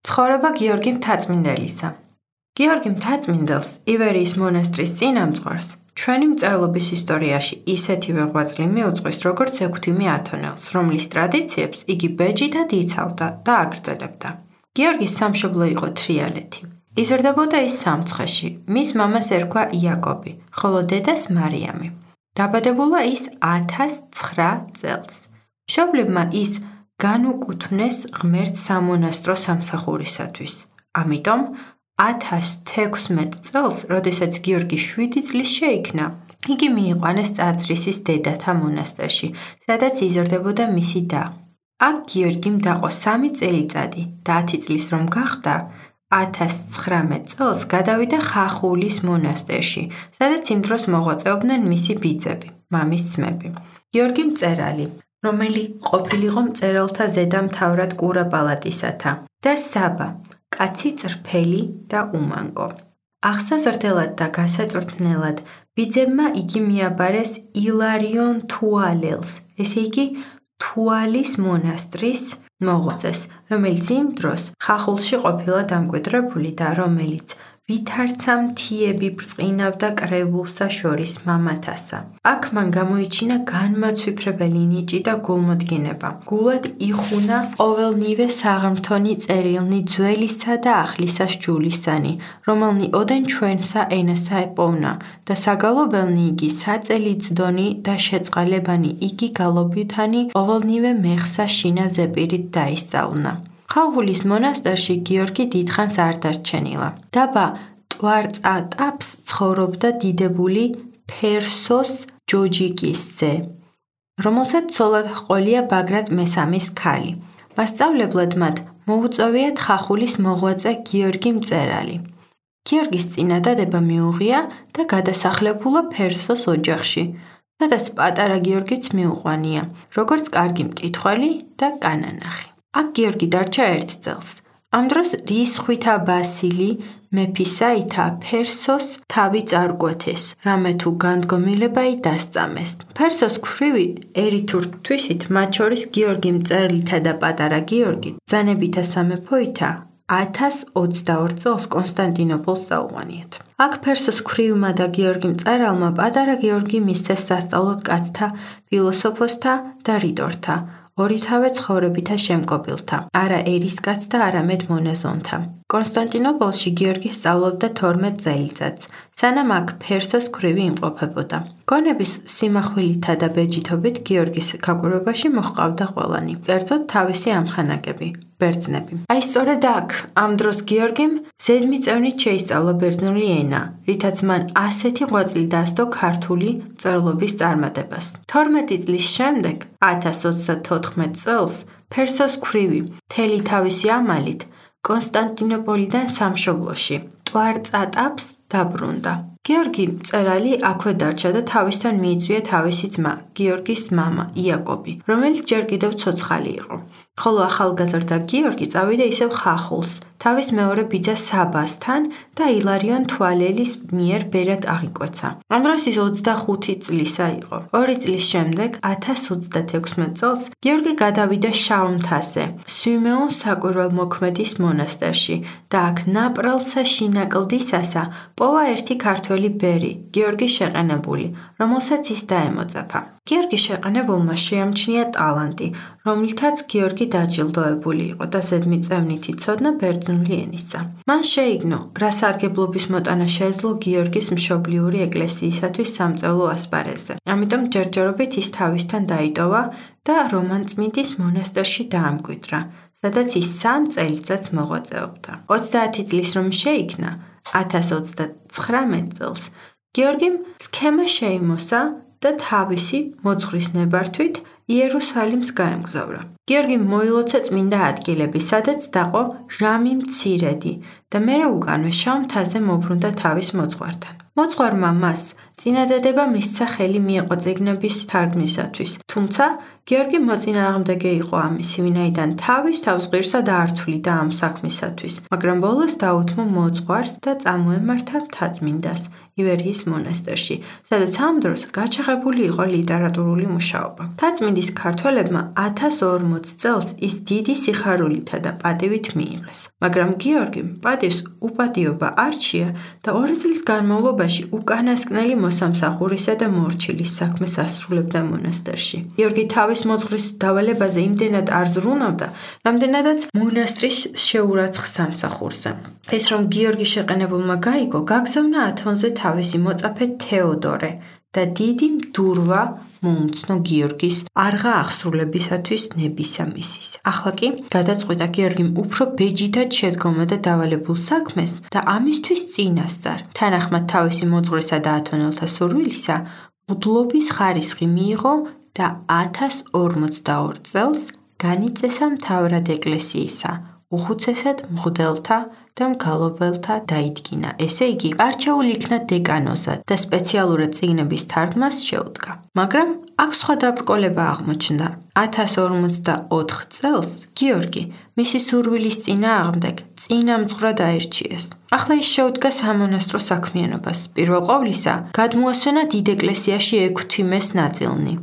ცხოვრება გიორგი მთაწმინდელისა. გიორგი მთაწმინდელს ივერიის მონასტრის წინამძღვარს ჩვენი მწერლობის ისტორიაში ისეთივე ღვაწლი მიუძღვის, როგორც ექვთიმე ათონელს, რომლის ტრადიციებს იგი ბეჯითად იცავდა და აგრძელებდა. გიორგის სამშობლო იყო თრიალეთი. იზრდებოდა ის სამცხეში, მის მამას ერქვა იაკობი, ხოლო დედას მარიამი. დაბადებულა ის 1009 წელს. მშობლებმა ის განუკუთვნეს ღმერთ სამონასტრო სამსახურისათვის. ამიტომ 1016 წელს, როდესაც გიორგი 7 წლის შეიქნა, იგი მიიყვანეს წარწერის დედათა მონასტერში, სადაც იზრდებოდა მისი და. აქ გიორგიმ დაყო 3 წელიწადი და 10 წლის რომ გახდა, 1019 წელს გადავიდა ხახულის მონასტერში, სადაც იმ დროს მოღვაწეობდნენ მისი ბიძები, მამის ძმები. გიორგი მწერალი, რომელიც ყოფილიყო მწერალთა ზედამთავრად კურაპალატისათა და საბა, კაცი წრფელი და უმანკო. აღსაზრდელად და გასაწვრთნელად ბიძებმა იგი მიაბარეს ილარიონ თუალელს, ესე იგი თუალის მონასტრის მოღვაწეს, რომელიც იმ დროს ხახულში ყოფილა დამკვიდრებული და რომელიც ვითარცა მთიები ბრწყინავდა კრებულსა შორის მამათასა. აქ მან გამოიჩინა განმაცვიფრებელი ნიჭი და გულმოდგინება. გულად იხუნა ყოველნივე საღმრთონი წერილნი ძველისა და ახლისა სჯულისანი, რომელნი ოდენ ჩვენსა ენასა ეპოვნა და საგალობელნი იგი საწელიწდონი და შეწყალებანი იგი გალობითანი ყოველნივე მეხსა შინა ზეპირით დაისწავნა. ხახულის მონასტერში გიორგი დიდხანს არ დარჩენილა. დაბა ტვარწატაფს ცხოვრობდა დიდებული ფერსოს ჯოჯიკის ძე, რომელსაც ცოლად ჰყოლია ბაგრატ მესამის ქალი. მასწავლებლად მათ მოუწოვიათ ხახულის მოღვაწე გიორგი მწერალი. გიორგის წინადადება მიუღია და გადასახლებულა ფერსოს ოჯახში, სადაც პატარა გიორგიც მიუყვანია, როგორც კარგი მკითხველი და კანანახი. აქ გიორგი დარჩა 1 წელს. ამ დროს რისხვითა ბასილი მეფისაითა ფერსოს თავი წარკვეთეს, რამე თუ განდგომილებაი დასწამეს. ფერსოს ქვრივი ერითურ თვისით, მათ შორის გიორგი მწერლითა და პატარა გიორგი ბრძანებითა სამეფოითა 1022 წელს კონსტანტინოპოლს წაუყვანიათ. აქ ფერსოს ქვრივმა და გიორგი მწერალმა პატარა გიორგი მისცეს სასწავლოდ კაცთა, ფილოსოფოსთა და რიტორთა, ორითავე ცხოვრებითა შემკობილთა, არა ერისკაცთა, არამედ მონაზონთა. კონსტანტინოპოლში გიორგი სწავლობდა 12 წელიწადს, სანამ აქ ფერსოს ქვრივი იმყოფებოდა. გონების სიმახვილითა და ბეჯითობით გიორგის გაკვირვებაში მოჰყავდა ყველანი, კერძოდ თავისი ამხანაგები, ბერძნები. აი სწორედ აქ, ამ დროს გიორგიმ ზედმიწევნით შეისწავლა ბერძნული ენა, რითაც მან ასეთი ღვაწლი დასდო ქართული მწერლობის წარმატებას. 12 წლის შემდეგ, 1034 წელს, ფერსოს ქვრივი მთელი თავისი ამალით კონსტანტინოპოლიდან სამშობლოში, ტვარწატაფს დაბრუნდა. გიორგი მწერალი აქვე დარჩა და თავისთან მიიწვია თავისი ძმა, გიორგის მამა, იაკობი, რომელიც ჯერ კიდევ ცოცხალი იყო. ხოლო ახალგაზრდა გიორგი წავიდა ისევ ხახულს, თავის მეორე ბიძა საბასთან და ილარიონ თუალელის მიერ ბერად აღიკვეცა. ამ დროს ის 25 წლისა იყო. 2 წლის შემდეგ, 1026 წელს, გიორგი გადავიდა შავმთაზე, სვიმეონ საკვირველთმოქმედის მონასტერში და აქ ნაპრალსა შინაკლდისასა პოვა ერთი ქართველი ბერი, გიორგი შეყენებული, რომელსაც ის დაემოწაფა. გიორგი შეყენებულმა შეამჩნია ტალანტი, რომლითაც გიორგი დაჯილდოებული იყო და ზედმიწევნით იცოდნა ბერძნული ენისა. მან შეიგნო, რა სარგებლობის მოტანა შეეძლო გიორგის მშობლიური ეკლესიისათვის სამწერლო ასპარეზზე. ამიტომ ჯერჯერობით ის თავისთან დაიტოვა და რომანწმინდის მონასტერში დაამკვიდრა, სადაც ის 3 წელიწადს მოღვაწეობდა. 30 წლის რომ შეიქმნა, 1029 წელს, გიორგიმ სქემა შეიმოსა და თავისი მოძღვრის ნებართვით იერუსალიმს გაემგზავრა. გიორგიმ მოილოცა წმინდა ადგილები, სადაც დაყო ჟამი მცირედი და მერე უკანვე შავმთაზე მობრუნდა თავის მოძღვართან. მოძღვარმა მას წინადადება მისცა ხელი მიეყო წიგნების თარგმნისათვის, თუმცა გიორგი მოწინააღმდეგე იყო ამისი, ვინაიდან თავის თავს ღირსად არ თვლიდა ამ საქმისათვის, მაგრამ ბოლოს დაუთმო მოძღვარს და წამოემართა მთაწმინდას, ივერიის მონასტერში, სადაც ამ დროს გაჩაღებული იყო ლიტერატურული მუშაობა. თაწმინდის ქართველებმა 1040 წელს ის დიდი სიხარულითა და პატივით მიიღეს. მაგრამ გიორგიმ პატივს უპატიობა არჩია და 2 წლის განმავლობაში უკანასკნელი მოსამსახურისა და მორჩილის საქმეს ასრულებდა მონასტერში. გიორგი თავის მოძღვრის დავალებაზე იმდენად არ ზრუნავდა, რამდენადაც მონასტრის შეურაცხ სამსახურზე. ეს რომ გიორგი შეყენებულმა გაიგო, გაგზავნა ათონზე თავისი მოწაფე თეოდორე და დიდი მდურვა მოუმცნო გიორგის არღა აღსრულებისათვის ნებისა მისის. ახლა კი გადაწყვიტა გიორგიმ უფრო ბეჯითად შედგომა და დავალებულ საქმეს და ამისთვის წინასწარ, თანახმად თავისი მოძღვრისა და ათონელთა სურვილისა, მღვდლობის ხარისხი მიიღო და 1042 წელს განიწესა მთავრად ეკლესიისა, უხუცესად მღვდელთა და მგალობელთა დაიდგინა. ესე იგი, არჩეულ იქნა დეკანოზად და სპეციალურად წიგნების თარგმნას შეუდგა. მაგრამ აქ სხვა დაბრკოლება აღმოჩნდა. 1044 წელს გიორგი მისი სურვილის წინააღმდეგ წინამძღვრად აირჩიეს. ახლა ის შეუდგა სამონასტრო საქმიანობას. პირველ ყოვლისა, გადმოასვენა დიდ ეკლესიაში 6 მეს ნაწილნი.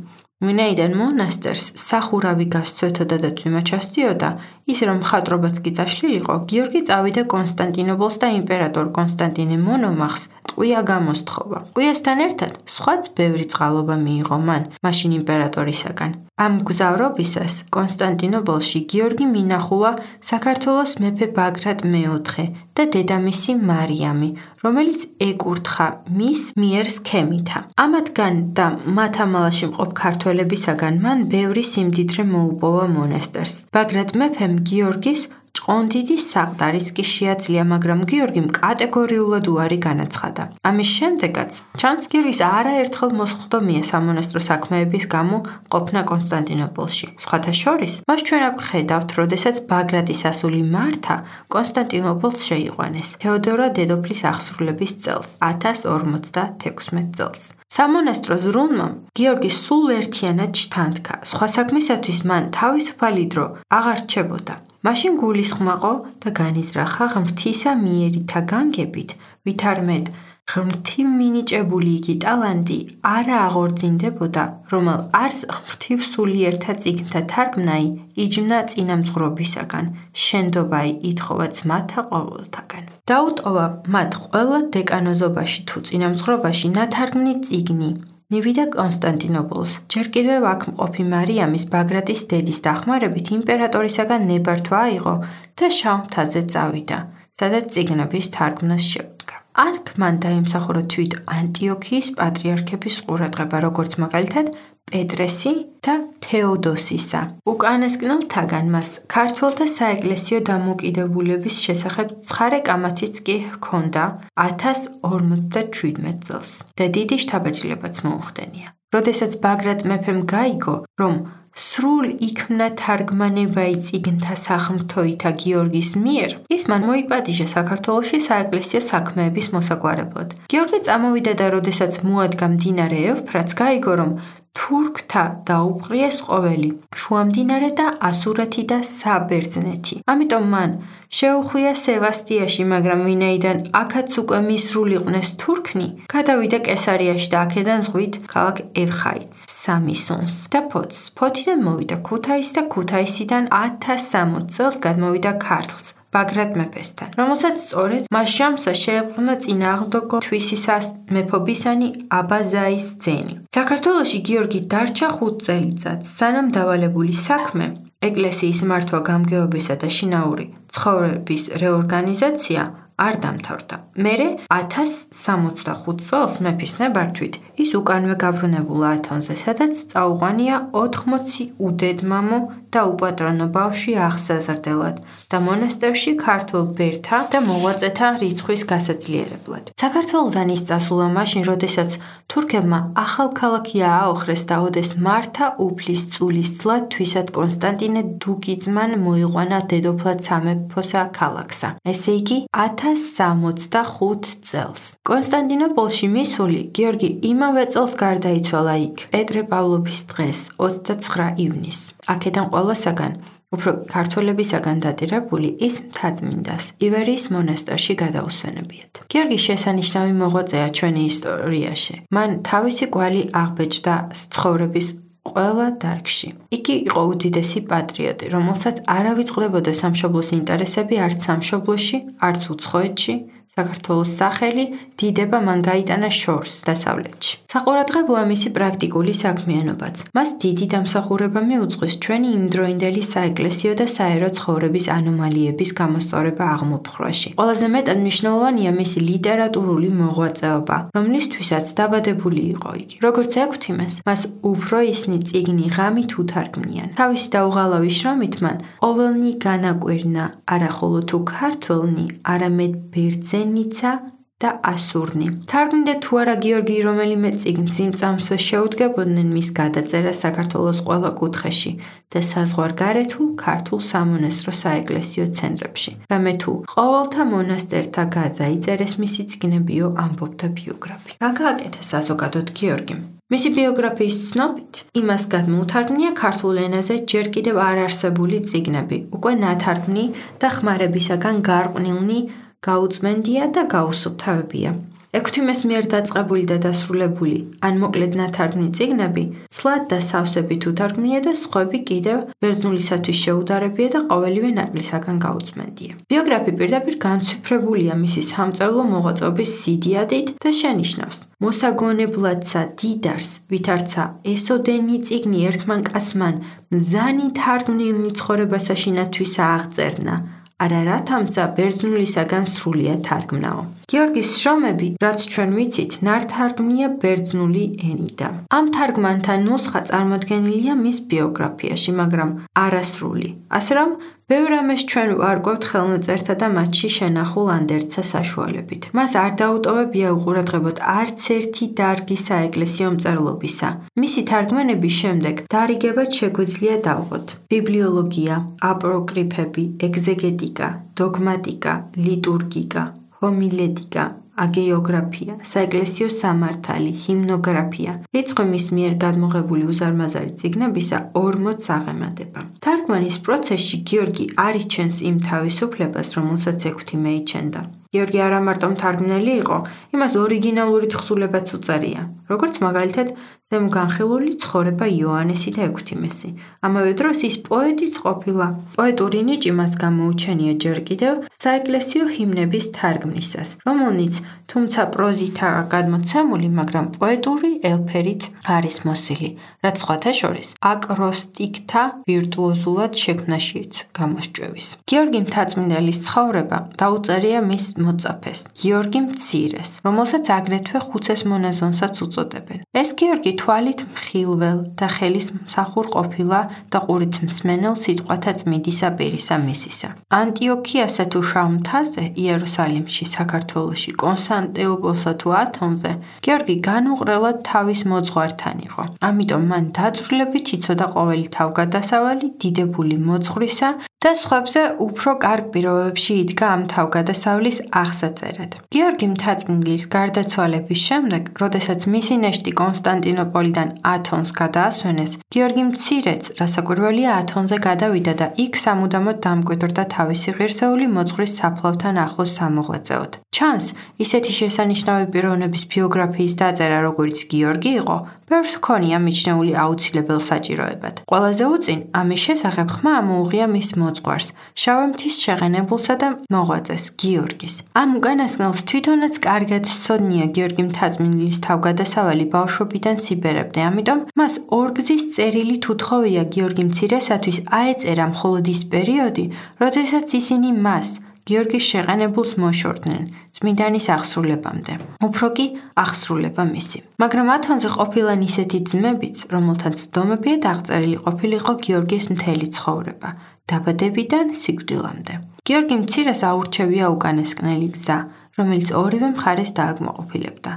ვინაიდან მონასტერს სახურავი გასცვეთოდა და წვიმა ჩასდიოდა, ის რომ მხატვრობაც კი წაშლილიყო, გიორგი წავიდა კონსტანტინოპოლს და იმპერატორ კონსტანტინე მონომახს ტყვია გამოსთხოვა. ტყვიასთან ერთად სხვაც ბევრი წყალობა მიიღო მან, მაშინ იმპერატორისაგან. ამ მგზავრობისას კონსტანტინოპოლში გიორგი მინახულა საქართველოს მეფე ბაგრატ მეოთხე და დედამისი მარიამი, რომელიც ეკურთხა მის მიერ სქემითა. ამათგან და მათ ამალაში მყოფ ქართველებისაგან მან ბევრი სიმდიდრე მოუპოვა მონასტერს. ბაგრატ მეფემ გიორგის ჭყონდიდის საყდარიც კი შეაძლია, მაგრამ გიორგიმ კატეგორიულად უარი განაცხადა. ამის შემდეგაც ჩანს გიორგის არაერთხელ მოსხდომია სამონასტრო საქმეების გამო ყოფნა კონსტანტინოპოლში. სხვათა შორის, მას ჩვენ აქ ხედავთ, როდესაც ბაგრატის ასული მართა კონსტანტინოპოლს შეიყვანეს თეოდორა დედოფლის აღსრულების წელს, 1056 წელს. სამონასტრო ზრუნვამ გიორგი სულ ერთიანად შთანთქა. სხვა საქმისათვის მან თავისუფალი დრო აღარ რჩებოდა. მაშინ გულისხმაყო და განიზრახა ღმრთისა მიერითა განგებით, ვითარმედ ღმრთივ მინიჭებული იგი ტალანტი არა აღორძინდებოდა, რომელ არს ღმრთივ სულიერთა წიგნთა თარგმნაი იჯმნა წინამძღვრობისაგან, შენდობაი ითხოვა ძმათა ყოველთაგან. დაუტყვა მათ ყველა დეკანოზობაში თუ წინამძღვრობაში ნათარგმნი წიგნი. ნივიდა კონსტანტინოპოლს, ჯერ კიდევ აქ მყოფი მარიამის ბაგრატის დედის დახმარებით იმპერატორისაგან ნებართვა აიღო და შავ მთაზე წავიდა, სადაც წიგნების თარგმნას შეუდგა. აქ მან დაიმსახურა თვით ანტიოქიის პატრიარქების ყურადღება, როგორც მაგალითად პეტრესი და თეოდოსისა. უკანასკნელთაგან მას ქართველთა საეკლესიო დამოუკიდებლობის შესახებ ცხარე კამათიც კი ჰქონდა 1057 წელს და დიდი შთაბეჭდილებაც მოუხდენია. როდესაც ბაგრატ მეფემ გაიგო, რომ სრულ იქმნა თარგმანებაი წიგნთა სახმრთოითა გიორგის მიერ, ის მან მოიპატიჟა საქართველოში საეკლესიო საქმეების მოსაგვარებლად. გიორგი წამოვიდა და როდესაც მოადგა მდინარე ევფრატს, გაიგო, რომ თურქთა დაუპყრიეს ყოველი შუამდინარე და ასურეთი და საბერძნეთი. ამიტომ მან შეუხვია სევასტიაში, მაგრამ ვინაიდან აქაც უკვე მისრულიყვნენ თურქნი, გადავიდა კესარიაში და აქედან ზღვით ქალაქ ევხაიტს, სამისონს და ფოთს. ფოთიდან მოვიდა ქუთაისს და ქუთაისიდან 1060 წელს გადმოვიდა ქართლს, ბაგრატ მეფესთან, რომელსაც სწორედ მას შამსა შეებრუნა წინააღმდეგო თვისისას მეფობისანი აბაზაის ძენი. საქართველოში გიორგი დარჩა 5 წელიწადს, სანამ დავალებული საქმე, ეკლესიის მართვა გამგეობისა და შინაური ცხოვრების რეორგანიზაცია არ დამთავრდა. მერე 1065 წელს მეფის ნებართვით ის უკანვე გაბრუნებულა ათონზე, სადაც წაუყვანია 80 უდედმამო და უპატრონო ბავშვი აღსაზრდელად და მონასტერში ქართულ ბერთა და მოღვაწეთა რიცხვის გასაძლიერებლად. საქართველოდან ის წასულა მაშინ, როდესაც თურქებმა ახალქალაქი ააოხრეს და ოდეს მართა უფლის წულის წლად თვისად კონსტანტინე დუგიძმან მოიყვანა დედოფლად სამეფოსა ქალაქსა. ესე იგი 1065 წელს. კონსტანტინოპოლში მისული გიორგი იმავე წელს გარდაიცვალა იქ, პეტრე პავლობის დღეს, 29 ივნისს. აქედან ყველასაგან უფრო ქართველებისაგან დატირებული ის მთაწმინდას ივერიის მონასტერში გადაუსვენებიათ. გიორგი შესანიშნავი მოღვაწეა ჩვენი ისტორიაში. მან თავისი კვალი აღბეჭდა ცხოვრების ყველა დარგში. იგი იყო უდიდესი პატრიოტი, რომელსაც არ ავიწყდებოდა სამშობლოს ინტერესები არც სამშობლოში, არც უცხოეთში. საქართველოს სახელი დიდება მან გაიტანა შორს დასავლეთში. საყურადღებოა მისი პრაქტიკული საქმიანობაც. მას დიდი დამსახურება მიუძღვის ჩვენი იმდროინდელი საეკლესიო და საერო ცხოვრების ანომალიების გამოსწორება აღმოფხვაში. ყველაზე მეტად მნიშვნელოვანია მისი ლიტერატურული მოღვაწეობა, რომლისთვისაც დაბადებული იყო იგი. როგორც ექვთიმეს, მას უფრო ისინი წიგნი ღამით უთარგმნიან. თავისი დაუღალავი შრომით მან ყოველნი განაკვირნა არა ხოლო თუ ქართველნი, არამედ ბერძენიცა და ასურნი. თარგმნიდა თუ არა გიორგი რომელიმე წიგნს იმ წამსვე შეუდგებოდნენ მის გადაწერას საქართველოს ყველა კუთხეში და საზღვარგარეთულ ქართულ სამონასტრო საეკლესიო ცენტრებში. რამე თუ ყოველთა მონასტერთა გადაიწერეს მისი წიგნებიო ამბობდა ბიოგრაფი. რა გააკეთა საზოგადოდ გიორგიმ? მისი ბიოგრაფიის ცნობით, იმას გადმოუთარგმნია ქართულ ენაზე ჯერ კიდევ არ არსებული წიგნები, უკვე ნათარგმნი და ხმარებისაგან გარყვნილნი გაუწმენდია და გაუსუფთავებია. ექვთიმეს მიერ დაწყებული და დასრულებული, ან მოკლედ ნათარგმნი წიგნები, ცლად და სავსებით უთარგმნია და სხვები კიდევ ბერძნულისათვის შეუდარებია და ყოველივე ნაკლისაგან გაუწმენდია. ბიოგრაფი პირდაპირ განცვიფრებულია მისი სამწერლო მოღვაწეობის სიდიადით და შენიშნავს მოსაგონებლადსა დიდარს, ვითარცა ესოდენი წიგნი ერთმანკაცმან მზანი თარგმნილნი ცხოვრებასაშინათვისა აღწერნა. არა რა თამცა ბერძნულისაგან სრულიად თარგმნაო. გიორგის შრომები, რაც ჩვენ ვიცით, ნართარგმნია ბერძნული ენიდან. ამ თარგმანთა ნუსხა წარმოდგენილია მის ბიოგრაფიაში, მაგრამ არასრული. ასე რომ, ბევრ რამეს ჩვენ ვარკვევთ ხელნაწერთა და მათში შენახულ ანდერძთა საშუალებით. მას არ დაუტოვებია უყურადღებოთ არც ერთი დარგი საეკლესიო მწერლობისა. მისი თარგმანების შემდეგ დარიგებად შეგვიძლია დავღოთ: ბიბლიოლოგია, აპოკრიფები, ეგზეგეტიკა, დოგმატიკა, ლიტურგიკა, ჰომილეტიკა, აგეოგრაფია, საეკლესიო სამართალი, ჰიმნოგრაფია. რიცხვი მის მიერ გადმოღებული უზარმაზარი წიგნებისა 40 აღემატება. თარგმანის პროცესში გიორგი არ იჩენს იმ თავისუფლებას, რომელსაც ექვთიმე იჩენდა. გიორგი არა მარტო მთარგმნელი იყო, იმას ორიგინალური თხზულებაც უწერია, როგორც მაგალითად ზემოგანხილული ცხოვრება იოანესი და ექვთიმესი. ამავე დროს ის პოეტიც ყოფილა. პოეტური ნიჭი მას გამოუჩენია ჯერ კიდევ საეკლესიო ჰიმნების თარგმნისას, რომელნიც თუმცა პროზითაა გადმოცემული, მაგრამ პოეტური ელფერით არის მოსილი, რაც სხვათა შორის აკროსტიკთა ვირტუოზულად შექმნაშიც გამოსჭვევის. გიორგი მთაწმინდელის ცხოვრება დაუწერია მის მოწაფეს, გიორგი მცირეს, რომელსაც აგრეთვე ხუცეს მონაზონსაც უწოდებენ. ეს გიორგი თვალით მხილվել და ხელის მსახურ ყოფილა და ყურით მსმენელ სიტყვათა წმიდისა პირისა მისისა. ანტიოქიასა თუ შავ მთაზე, იერუსალიმში, საქართველოში, კონსტანტინოპოლსა თუ ათონზე, გიორგი განუყრელად თავის მოძღვართან იყო. ამიტომ მან დაწვრილებით იცოდა ყოველი თავგადასავალი, დიდებული მოძღვრისა და სხვებზე უფრო კარგ პირობებში იდგა ამ თავგადასავლის აღსაწერად. გიორგი მთაწმინდის გარდაცვალების შემდეგ, როდესაც მისი ნეშტი კონსტანტინოპოლიდან ათონს გადაასვენეს, გიორგი მცირეც, რასაკვირველია, ათონზე გადავიდა და იქ სამუდამოდ დამკვიდრდა თავისი ღირსეული მოძღვრის საფლავთან ახლოს სამოღვაწეოდ. ჩანს, ისეთი შესანიშნავი პიროვნების ბიოგრაფიის დაწერა, როგორც გიორგი იყო, ბევრს ჰქონია მიჩნეული აუცილებელ საჭიროებად. ყველაზე უწინ ამის შესახებ ხმა ამოუღია მის მოძღვარს, შავი მთის შეღენებულსა და მოღვაწეს გიორგის. ამ უკანასკნელს თვითონაც კარგად სცოდნია გიორგი მთაწმინდის თავგადასავალი ბავშვობიდან სიბერებდე, ამიტომ მას ორგზის წერილით უთხოვია გიორგი მცირესათვის აეწერა მხოლოდ ის პერიოდი, როდესაც ისინი მას, გიორგის შეყენებულს მოშორდნენ, წმიდანის აღსრულებამდე. უფრო კი აღსრულება მისი. მაგრამ ათონზე ყოფილან ისეთი ძმებიც, რომელთაც დომებია აღწერილი ყოფილიყო გიორგის მთელი ცხოვრება, დაბადებიდან სიკვდილამდე. გიორგი მცირეს აურჩევია უკანასკნელი გზა, რომელიც ორივე მხარეს დააკმაყოფილებდა.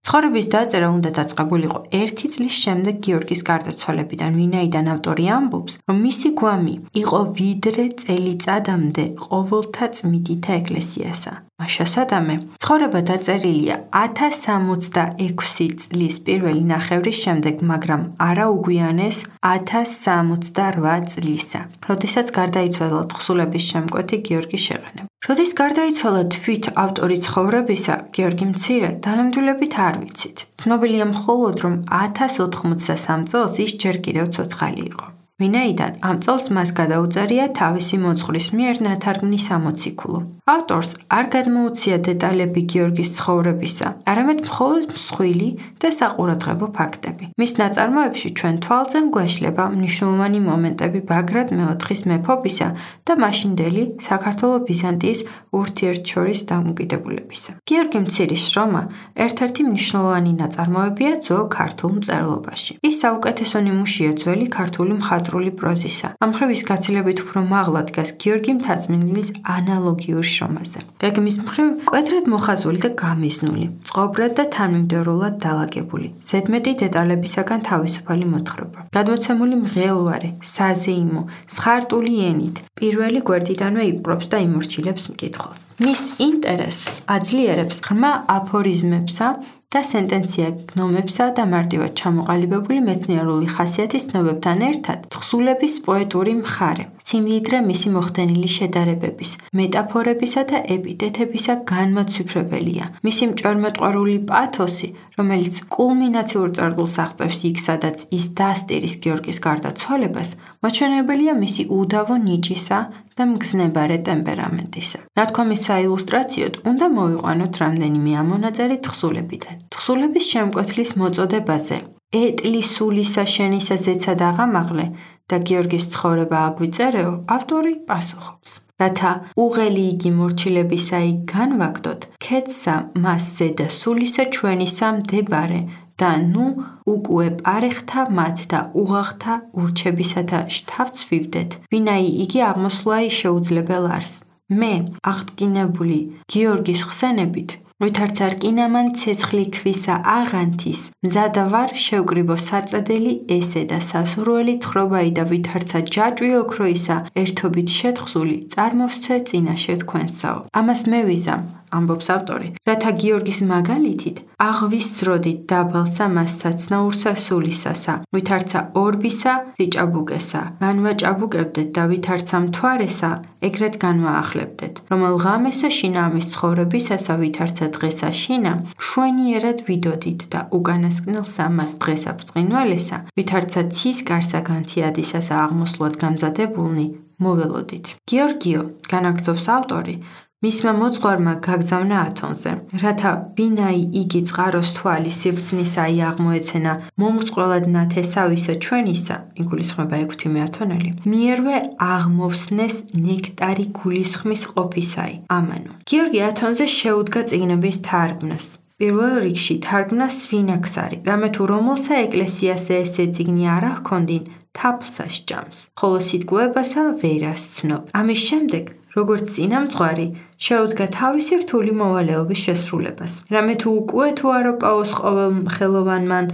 ცხოვრების დაწერა უნდა დაწყებულიყო 1 წლის შემდეგ გიორგის გარდაცვალებიდან, ვინაიდან ავტორი ამბობს, რომ მისი გვამი იყო ვიდრე წელიწადამდე ყოველთა წმიდითა ეკლესიასა. მაშასადამე, ცხოვრება დაწერილია 1066 წლის პირველი ნახევრის შემდეგ, მაგრამ არა უგვიანეს 1068 წლისა, როდესაც გარდაიცვალა თხზულების შემკვეთი გიორგი შეღანება. როდის გარდაიცვალა თვით ავტორი ცხოვრებისა, გიორგი მცირე, დანამდვილებით არ ვიცით. ცნობილია მხოლოდ, რომ 1083 წელს ის ჯერ კიდევ ცოცხალი იყო. ვინაიდან ამ წელს მას გადაუწერია თავისი მოძღვრის მიერ ნათარგმნის ამოციქულო. ავტორს არ გადმოუცია დეტალები გიორგის ცხოვრებისა, არამედ მხოლოდ მსხვილი და საყურადღებო ფაქტები. მის ნაწარმოებში ჩვენ თვალწინ გვეშლება მნიშვნელოვანი მომენტები ბაგრატ მეოთხის მეფობისა და მაშინდელი საქართველო-ბიზანტიის ურთიერთშორის დამოკიდებულებისა. გიორგი მცირის შრომა ერთ-ერთი მნიშვნელოვანი ნაწარმოებია ძველ ქართულ მწერლობაში. ის საუკეთესო ნიმუშია ძველი ქართული მხატვრული პროზისა. ამ მხრივ ის გაცილებით უფრო მაღლა დგას გიორგი მთაწმინდის ანალოგიურ შრომაზე. გეგმის მხრივ მკვეთრად მოხაზული და გამიზნული, წყობრად და თანმიმდევრულად დალაგებული, ზედმეტი დეტალებისაგან თავისუფალი მოთხრობა. გადმოცემული მღელვარე, საზეიმო, სხარტული ენით, პირველი გვერდიდანვე იპყრობს და იმორჩილებს მკითხველს. მის ინტერესს აძლიერებს ღრმა აფორიზმებსა და სენტენცია გნომებსა და მარტივად ჩამოყალიბებული მეცნიერული ხასიათის ცნობებთან ერთად თხზულების პოეტური მხარე, სიმდიდრე მისი მოხდენილი შედარებების, მეტაფორებისა და ეპიტეტებისა განმაცვიფრებელია. მისი მჭვერმეტყვარული პათოსი, რომელიც კულმინაციურ წერილს აღწევს იქ, სადაც ის დასტირის გიორგის გარდაცვალებას, მაჩვენებელია მისი უდავო ნიჭისა და მგზნებარე ტემპერამენტისა. ნათქვამის საილუსტრაციოდ უნდა მოვიყვანოთ რამდენიმე ამონაწერი თხზულებიდან. თხზულების შემკვეთლის მოწოდებაზე ეტლისულისა შენისა ზეცა დაღამაღლე და გიორგის ცხოვრება აგვიწერეო, ავტორი პასუხობს. რათა უღელი იგი მორჩილებისა იქ განვაგდოთ, ქეთსა მას ზედა სულისა ჩვენისა მდებარე და ნუ უკვე პარეხთა მათ და უღახთა ურჩებისათა შთავს ვივდეთ, ვინაი იგი აღმოსვლაი შეუძლებელ არს. მე აღტკინებული გიორგის ხსენებით, ვითარცა რკინამან ცეცხლი ქვისა აღანთის, მზადა ვარ შევკრიბო საწადელი ესე და სასურველი თხრობაი და ვითარცა ჯაჭვი ოქროისა, ერთობით შეთხზული, წარმოვსცე წინაშე თქვენსაო. ამას მევიზამ, ამბობს ავტორი, რათა გიორგის მაგალითით აღვისძროდით დაბალსა მას საცნაურსა სულისასა, ვითარცა ორბისა სიჭაბუკესა, განვაჭაბუკებდეთ და ვითარცა მთვარესა, ეგრეთ განვაახლებდეთ, რომელ ღამესა შინა ამის ცხოვრებისასა, ვითარცა დღესა შინა, შვენიერად ვიდოდით და უკანასკნელსა მას დღესა ბრწყინვალესა, ვითარცა ცის გარსა განთიადისასა აღმოსვლად გამზადებულნი, მოველოდით. გიორგიო, განაგრძობს ავტორი, მისმა მოძღვარმა გაგზავნა ათონზე, რათა ვინაი იგი წყაროს თვალი სიბრძნისაი აღმოეცენა მომრწყველად ნათესავისა ჩვენისა, იგულისხმება 6 ათონელი, მიერვე აღმოვსნეს ნექტარი გულისხმის ყოფისაი, ამანო. გიორგი ათონზე შეუდგა წიგნების თარგმნას. პირველ რიგში თარგმნა სვინაქსარი, რამე თუ რომელსა ეკლესიასე ესე წიგნი არ ჰქონდინ, თაფლსა სჯამს, ხოლო სიტყვებასა ვერას ცნობ. ამის შემდეგ როგორც წინამძღვარი, შეუდგა თავისი რთული მოვალეობის შესრულებას. რამე თუ უკვე თუ არ ოპაოს ყოველ ხელოვანმან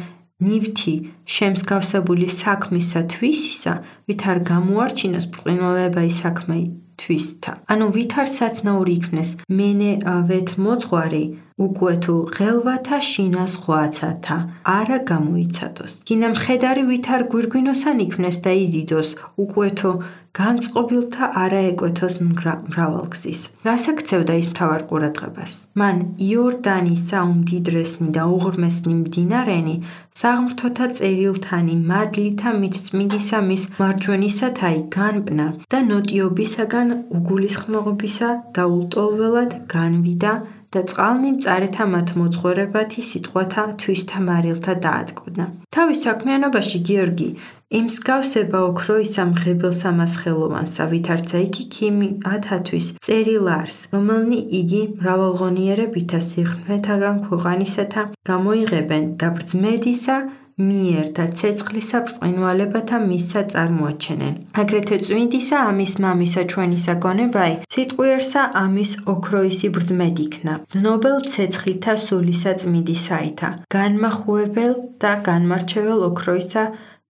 ნივთი შემსგავსებული საქმისა თვისისა, ვითარ გამოარჩინოს ბრწყინვალებაი საქმე თვისთა. ანუ ვითარ საცნაური იქნეს მენე ვეთ მოძღვარი, უკვე თუ ღელვათა შინას ღვაცათა, არა გამოიცადოს. გინდა მხედარი ვითარ გვირგვინოსან იქნეს და იდიდოს, უკვე თუ განწყობილთა არა ეკვეთოს მრავალგზის. რას აქცევდა ის მთავარ ყურადღებას? მან იორდანისა უმდიდრესნი და უღრმესნი მდინარენი, საღმრთოთა წერილთანი, მადლითა მიწწმიდისა მის მარჯვენისათაი განპნა და ნოტიობისაგან უგულისხმობისა დაულტოლველად განვიდა და წყალნი მწარეთა მათ მოძღვერებათი სიტყვათა თვისთა მარილთა დაატკვდა. თავის საქმიანობაში გიორგი იმსგავსება ოქროისა მღებელსა მას ხელოვანსა, ვითარცა იგი ქიმიათათვის წერილარს, რომელნი იგი მრავალღონიერებითა სიღრმეთაგან ქვეყანისათა გამოიღებენ და ბრძმედისა მიერ და ცეცხლისა ბრწყინვალებათა მისსა წარმოაჩენენ. აგრეთვე წმინდისა ამის მამისა ჩვენისა გონებაი, სიტყვიერსა ამის ოქროისი ბრძმედ იქნა. ნობელ ცეცხლითა სულისა წმინდისაითა, განმახუებელ და განმარჩეველ ოქროისა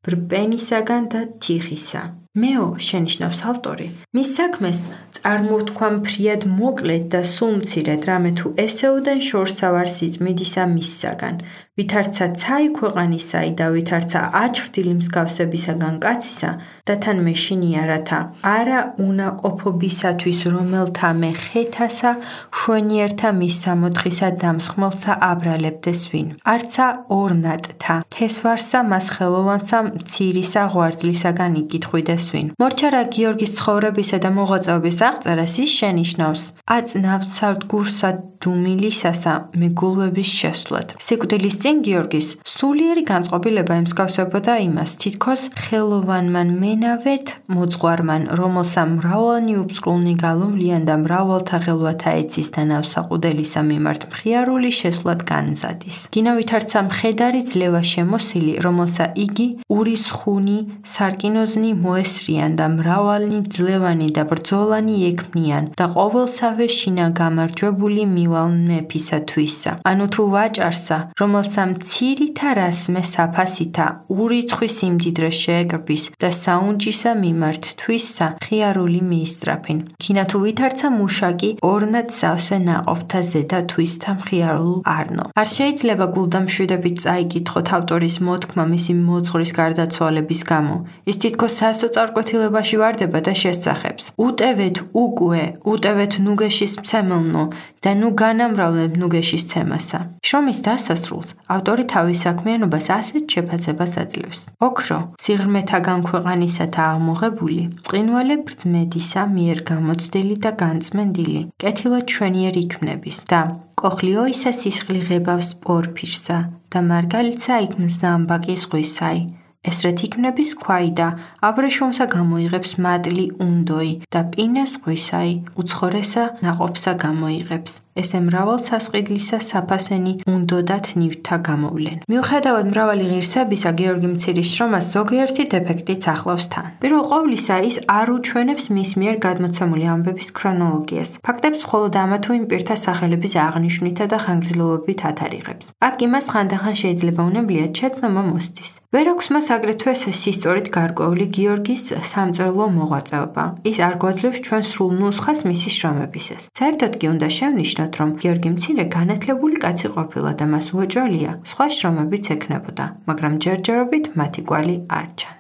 ბრპენისაგან და თიხისა. მეო შენიშნავს ავტორი, მის საქმეს წარმოვთქვა ფრიად მოკლედ და სულმცირედ, რამე თუ ესეოდენ შორსავარსი წმინდისა მისსაგან, ვითარცა ცაი ქვეყანისაი და ვითარცა აჩრდილი მსგავსებისაგან კაცისა და თან მეშინია რათა არა უნაყოფობისათვის რომელთა მე ხეთასა შვენიერთა მის სამოთხისა დამსხმელსა აბრალებდეს ვინ არცა ორნატთა თესვარსა მას ხელოვანსა მცირისა ღვარძლისაგან იკითხვიდეს ვინ მორჩარა გიორგის ცხოვრებისა და მოღვაწეობის აღწერას ის შენიშნავს აწნავსავ გურსა დუმილისასა მეგულვების შესვლად სიკვდილის წინ გიორგის სულიერი განწყობილება ემსგავსებოდა იმას თითქოს ხელოვანმან მენავეთ მოძღვარმან რომელსა მრავალნი უბსკულნი გალუვლიან და მრავალთა ხელვათა ეცის და ნავსაყუდელისა მიმართ მხიარული შესვლად განზადის გინა ვითარცა მხედარი ძლევა შემოსილი რომელსა იგი ურისხუნი სარკინოზნი მოესრიან და მრავალნი ძლევანი და ბრძოლანი ექმნიან და ყოველსავე შინა გამარჯვებული მეფისათვისა ანუ თუ ვაჭარსა რომელსა მცირითა რასმე საფასითა ურიცხვის სიმდიდრე შეეკრბის და საუნჯისა მიმართ თვისა ხიარული მიისწრაფინ ქინა თუ ვითარცა მუშაკი ორნად სავსე ნაყოფთა ზედა თვისთა მხიარულ არნო არ შეიძლება გულდამშვიდობით წაიკითხოთ ავტორის მოთქმა მისი მოძღვრის გარდაცვალების გამო ის თითქოს სასოწარკვეთილებაში ვარდება და შესახებს უტევეთ უკვე უტევეთ ნუგეშის მცემელნო და ნუ განამრავლებ ნუგეშის ცემასა. შრომის დასასრულს ავტორი თავის საქმიანობას ასეთ შეფასებას აძლევს. ოქრო, სიღრმეთაგან ქვეყანისათა აღმოღებული, წყინვალე ბრძმედისა მიერ გამოცდილი და განწმენდილი, კეთილად ჩვენიერ იქმნების და კოხლიოისა სისხლი ღებავს პორფირსა და მარგალიტსა იქ მზამბაკის ზღვისაი. ესრეთ იქმნების ქვაი და აბრეშუმსა გამოიღებს მატლი უნდოი და პინას ზღვისაი უცხორესა ნაყოფსა გამოიღებს. ესე მრავალ სასყიდლისა საფასენი უნდოდათ ნივთთა გამოვლენ. მიუხედავად მრავალი ღირსებისა, გიორგი მცირის შრომას ზოგიერთი დეფექტიც ახლავს თან. პირველ ყოვლისა ის არ უჩვენებს მის მიერ გადმოცემული ამბების ქრონოლოგიას. ფაქტებს მხოლოდ ამა თუ იმ პირთა სახელების აღნიშვნითა და ხანგრძლივობით ათარიღებს. აქ იმას ხანდახან შეიძლება უნებლიათ შეცნობა მოსდის. ვერ აქვს მას აგრეთვე სისწორით გარკვეული გიორგის სამწერლო მოღვაწეობა. ის არ გვაძლევს ჩვენ სრულ ნუსხას მისი შრომებისას. საერთოდ კი უნდა შევნიშნოთ რომ გიორგი მცირე განათლებული კაცი ყოფილა და მას უეჭველია სხვა შრომებიც ექნებოდა, მაგრამ ჯერჯერობით მათი კვალი არ ჩანს.